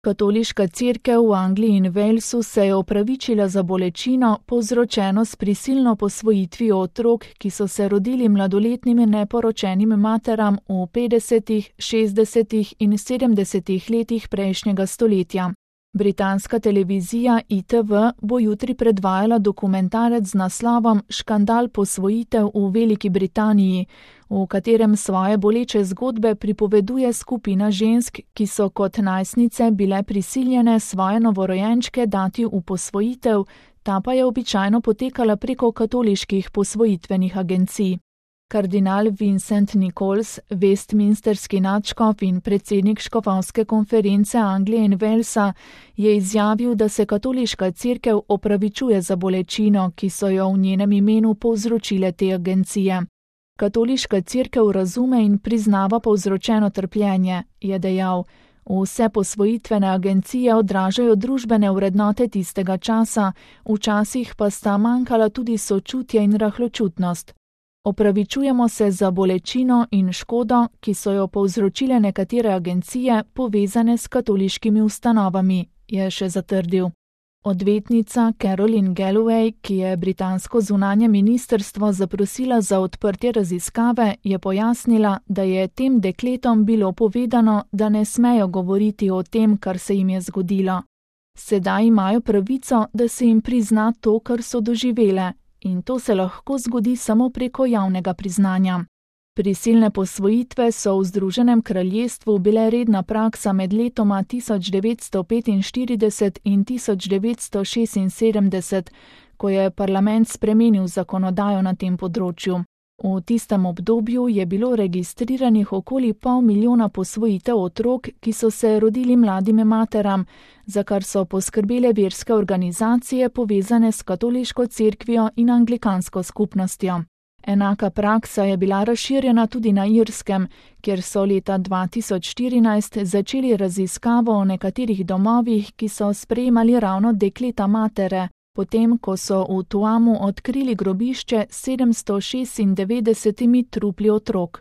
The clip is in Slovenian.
Katoliška cerkev v Angliji in Walesu se je opravičila za bolečino, povzročeno s prisilno posvojitvijo otrok, ki so se rodili mladoletnim neporočenim materam v 50., 60. in 70. letih prejšnjega stoletja. Britanska televizija ITV bo jutri predvajala dokumentarec z naslovom Škandal posvojitev v Veliki Britaniji, v katerem svoje boleče zgodbe pripoveduje skupina žensk, ki so kot najstnice bile prisiljene svoje novorojenčke dati v posvojitev, ta pa je običajno potekala preko katoliških posvojitvenih agencij. Kardinal Vincent Nichols, westminsterski nadškof in predsednik škofovske konference Anglije in Walesa, je izjavil, da se katoliška cerkev opravičuje za bolečino, ki so jo v njenem imenu povzročile te agencije. Katoliška cerkev razume in priznava povzročeno trpljenje, je dejal. Vse posvojitvene agencije odražajo družbene vrednote tistega časa, včasih pa sta manjkala tudi sočutje in rahločutnost. Opravičujemo se za bolečino in škodo, ki so jo povzročile nekatere agencije, povezane s katoliškimi ustanovami, je še zatrdil. Odvetnica Caroline Galloway, ki je britansko zunanje ministrstvo zaprosila za odprtje raziskave, je pojasnila, da je tem dekletom bilo povedano, da ne smejo govoriti o tem, kar se jim je zgodilo. Sedaj imajo pravico, da se jim prizna to, kar so doživele. In to se lahko zgodi samo preko javnega priznanja. Prisilne posvojitve so v Združenem kraljestvu bile redna praksa med letoma 1945 in 1976, ko je parlament spremenil zakonodajo na tem področju. V tistem obdobju je bilo registriranih okoli 500 000 posvojitev otrok, ki so se rodili mladim materam, za kar so poskrbele verske organizacije povezane s katoliško cerkvijo in anglikansko skupnostjo. Enaka praksa je bila razširjena tudi na Irskem, kjer so leta 2014 začeli raziskavo o nekaterih domovih, ki so sprejemali ravno dekleta matere, potem ko so v Tuamu odkrili grobišče s 796 trupli otrok.